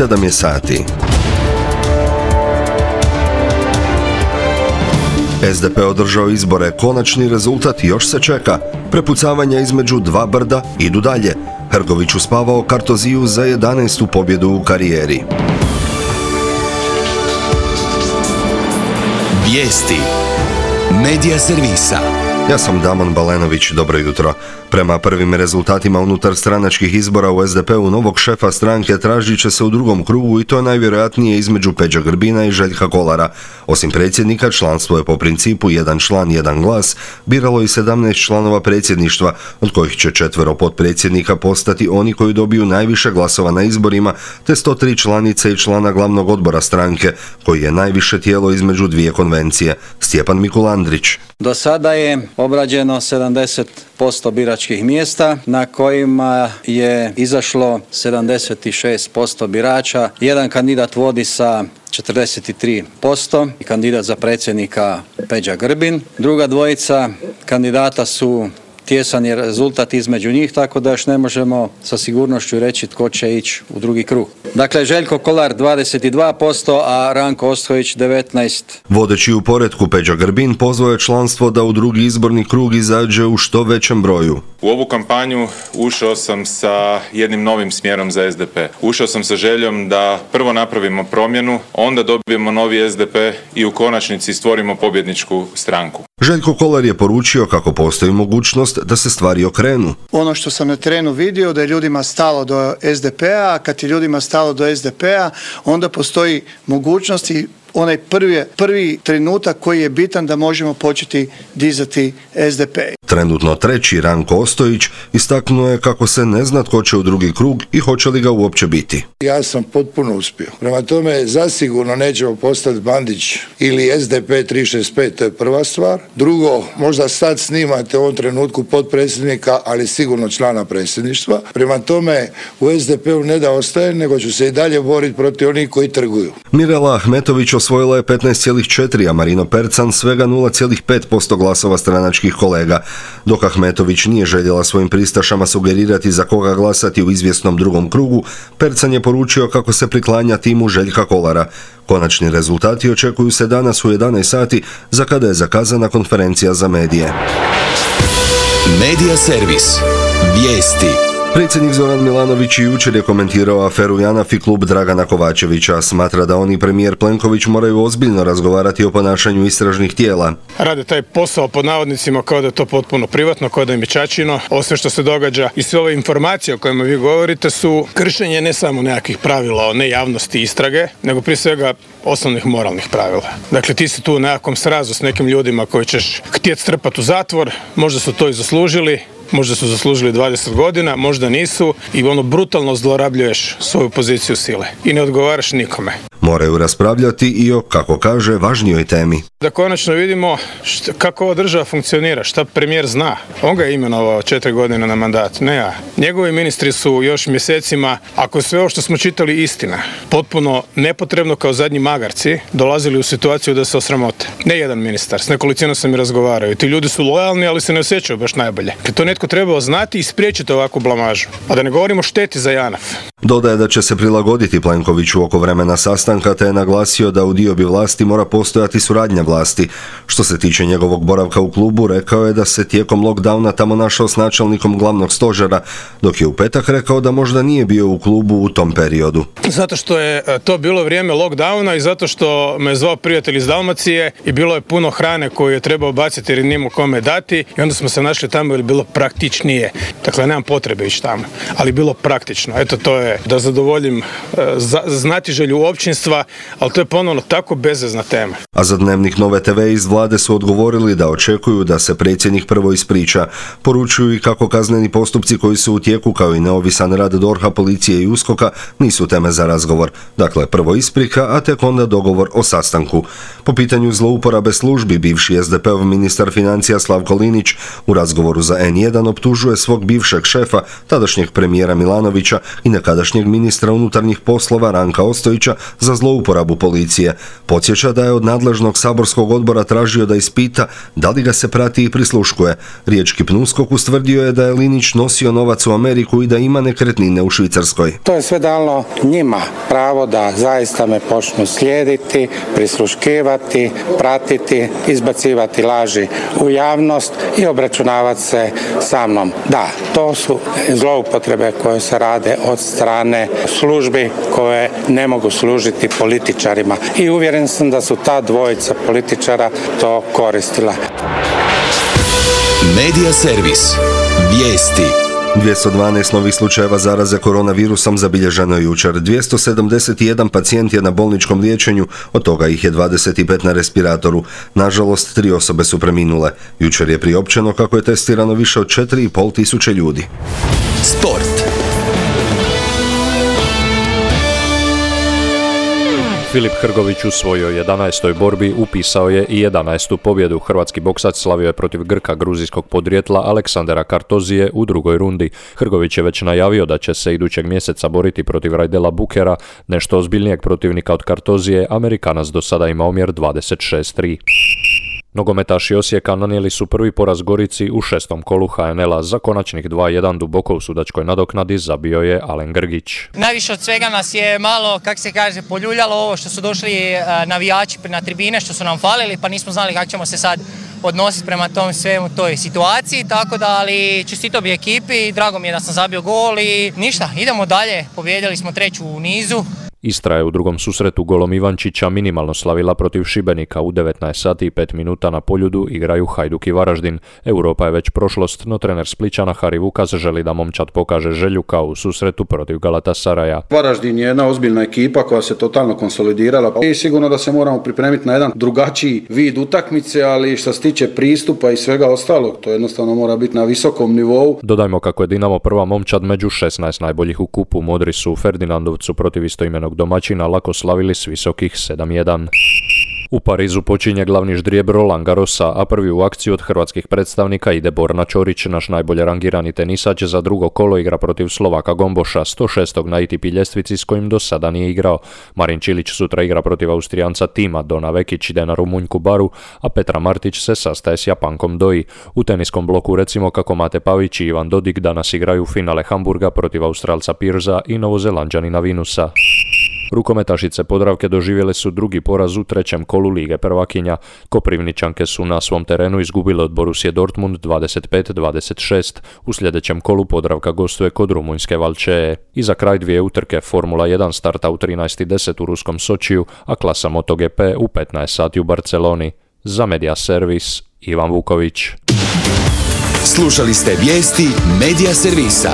7 je sati. SDP održao izbore, konačni rezultat još se čeka. Prepucavanja između dva brda idu dalje. Hrgović uspavao Kartoziju za 11. pobjedu u karijeri. Vijesti Medija servisa. Ja sam Damon Balenović, dobro jutro. Prema prvim rezultatima unutar stranačkih izbora u SDP-u novog šefa stranke tražit će se u drugom krugu i to najvjerojatnije između Peđa Grbina i Željka Kolara. Osim predsjednika, članstvo je po principu jedan član, jedan glas, biralo i 17 članova predsjedništva, od kojih će 4 potpredsjednika postati oni koji dobiju najviše glasova na izborima, te 103 članice i člana glavnog odbora stranke, koji je najviše tijelo između dvije konvencije. Stjepan Mikulandrić. Do sada je obrađeno 70% biračkih mjesta na kojima je izašlo 76% birača. Jedan kandidat vodi sa 43%, kandidat za predsjednika Peđa Grbin. Druga dvojica kandidata su tjesan je rezultat između njih, tako da još ne možemo sa sigurnošću reći tko će ići u drugi krug. Dakle, Željko Kolar 22%, a Ranko Ostojić 19%. Vodeći u poretku Peđa Grbin pozvao je članstvo da u drugi izborni krug izađe u što većem broju. U ovu kampanju ušao sam sa jednim novim smjerom za SDP. Ušao sam sa željom da prvo napravimo promjenu, onda dobijemo novi SDP i u konačnici stvorimo pobjedničku stranku. Željko Kolar je poručio kako postoji mogućnost da se stvari okrenu. Ono što sam na terenu vidio da je ljudima stalo do SDP-a, a kad je ljudima stalo do SDP-a, onda postoji mogućnost i onaj prvi trenutak koji je bitan da možemo početi dizati SDP. Trenutno treći Ranko Ostojić istaknuo je kako se ne zna tko će u drugi krug i hoće li ga uopće biti. Ja sam potpuno uspio. Prema tome, zasigurno nećemo postati Bandić ili SDP 365, to je prva stvar. Drugo, možda sad snimate u ovom trenutku potpredsjednika, ali sigurno člana predsjedništva. Prema tome, u SDP-u ne da ostaje, nego ću se i dalje boriti protiv onih koji trguju. Mirela Ahmetović osvojila je 15,4, a Marino Percan svega 0,5% glasova stranačkih kolega. Dok Ahmetović nije željela svojim pristašama sugerirati za koga glasati u izvjesnom drugom krugu, Percan je poručio kako se priklanja timu Željka Kolara. Konačni rezultati očekuju se danas u 11 sati, za kada je zakazana konferencija za medije. Medija servis. Vijesti. Predsjednik Zoran Milanović jučer je komentirao aferu JANAF i klub Dragana Kovačevića. Smatra da on i premijer Plenković moraju ozbiljno razgovarati o ponašanju istražnih tijela. Rade taj posao pod navodnicima kao da je to potpuno privatno, kao da im je ćaćino. Ovo sve što se događa i sve ove informacije o kojima vi govorite su kršenje ne samo nekakvih pravila o nejavnosti istrage, nego prije svega osnovnih moralnih pravila. Dakle, ti si tu u nekakvom srazu s nekim ljudima koji ćeš htjeti strpati u zatvor, možda su to i zaslužili. Možda su zaslužili 20 godina, možda nisu i brutalno zlorabljuješ svoju poziciju sile i ne odgovaraš nikome. Moraju raspravljati i o, kako kaže, važnijoj temi. Da konačno vidimo kako ova država funkcionira, šta premijer zna. On ga je imenovao 4 godine na mandat, ne ja. Njegovi ministri su još mjesecima, ako je sve ovo što smo čitali istina, potpuno nepotrebno kao zadnji magarci, dolazili u situaciju da se osramote. Ne jedan ministar, s nekolicinom sam i razgovarao. I ti ljudi su lojalni, ali se ne osjećaju baš najbolje. To netko trebao znati i spriječiti ovakvu blamažu. A da ne govorimo šteti za JANAF. Dodaje da će se prilagoditi Plenkoviću oko vremena sastanka, te je naglasio da u diobi vlasti mora postojati suradnja vlasti. Što se tiče njegovog boravka u klubu, rekao je da se tijekom lockdowna tamo našao s načelnikom glavnog stožera, dok je u petak rekao da možda nije bio u klubu u tom periodu. Zato što je to bilo vrijeme lockdowna i zato što me zvao prijatelj iz Dalmacije i bilo je puno hrane koju je trebao baciti jer nije mu kome dati i onda smo se našli tamo jer je bilo praktičnije. Dakle, nemam potrebe ići tamo, ali bilo praktično. Eto, to je da zadovoljim znatiželju općinstva, ali to je ponovno tako bezvezna tema. A za Dnevnik Nove TV iz vlade su odgovorili da očekuju da se predsjednik prvo ispriča. Poručuju i kako kazneni postupci koji su u tijeku, kao i neovisan rad DORH-a, policije i USKOK-a nisu teme za razgovor. Dakle, prvo isprika, a tek onda dogovor o sastanku. Po pitanju zlouporabe službi, bivši SDP-ov ministar financija Slavko Linić u razgovoru za N1 optužuje svog bivšeg šefa, tadašnjeg premijera Milanovića i nekadašnjeg tadašnjeg ministra unutarnjih poslova Ranka Ostojića za zlouporabu policije. Podsjeća da je od nadležnog saborskog odbora tražio da ispita da li ga se prati i prisluškuje. Riječki PNUSKOK ustvrdio je da je Linić nosio novac u Ameriku i da ima nekretnine u Švicarskoj. To je sve dalo njima pravo da zaista me počnu slijediti, prisluškivati, pratiti, izbacivati laži u javnost i obračunavati se sa mnom. Da, to su zloupotrebe koje se rade od strane službi koje ne mogu služiti političarima. I uvjeren sam da su ta dvojica političara to koristila. Medija servis. Vijesti. 212 novih slučajeva zaraze koronavirusom zabilježeno je jučer. 271 pacijent je na bolničkom liječenju, od toga ih je 25 na respiratoru. Nažalost, 3 osobe su preminule. Jučer je priopćeno kako je testirano više od 4,5 tisuće ljudi. Sport. Filip Hrgović u svojoj 11. borbi upisao je i 11. pobjedu. Hrvatski boksač slavio je protiv Grka gruzijskog podrijetla Aleksandera Kartozije u drugoj rundi. Hrgović je već najavio da će se idućeg mjeseca boriti protiv Rajdela Bukera, nešto ozbiljnijeg protivnika od Kartozije. Amerikanac do sada ima omjer 26-3. Nogometaši Osijeka nanijeli su prvi poraz Gorici u 6. kolu HNL-a. Za konačnih 2-1 duboko u sudačkoj nadoknadi zabio je Alen Grgić. Najviše od svega nas je malo, poljuljalo ovo što su došli navijači na tribine, što su nam falili, pa nismo znali kako ćemo se sad odnositi prema tom svemu toj situaciji, tako da, ali čestito bi ekipi, drago mi je da sam zabio gol i ništa, idemo dalje, pobijedili smo 3. u nizu. Istra je u drugom susretu golom Ivančića minimalno slavila protiv Šibenika. U 19 sati i 5 minuta na Poljudu igraju Hajduk i Varaždin. Europa je već prošlost, no trener Splićana Hari Vukas želi da momčad pokaže želju kao u susretu protiv Galatasaraja. Varaždin je jedna ozbiljna ekipa koja se totalno konsolidirala i sigurno da se moramo pripremiti na jedan drugačiji vid utakmice, ali što se tiče pristupa i svega ostalog, to jednostavno mora biti na visokom nivou. Dodajmo kako je Dinamo prva momčad među 16 najboljih u kupu. Modri su u Ferdinandovcu protiv istoimenog domaćina lako slavili s visokih 7-1. U Parizu počinje glavni ždrijeb Roland Garrosa, a prvi u akciju od hrvatskih predstavnika ide Borna Ćorić, naš najbolje rangirani tenisač za drugo kolo igra protiv Slovaka Gomboša, 106. na ATP ljestvici s kojim do sada nije igrao. Marin Čilić sutra igra protiv Austrijanca Tima, Dona Vekić ide na Rumunjku Baru, a Petra Martić se sastaje s Japankom Doi. U teniskom bloku recimo kako Mate Pavić i Ivan Dodig danas igraju finale Hamburga protiv Australca Pirza i Novozelanđanina Vinusa. Rukometašice Podravke doživjele su drugi poraz u 3. kolu Lige prvakinja. Koprivničanke su na svom terenu izgubile od Borussia Dortmund 25-26. U sljedećem kolu Podravka gostuje kod rumunjske Valčeje. I za kraj 2 utrke. Formula 1 starta u 13:10 u ruskom Sočiju, a klasa MotoGP u 15 sati u Barceloni. Za Medija servis Ivan Vuković. Slušali ste vijesti Medija servisa.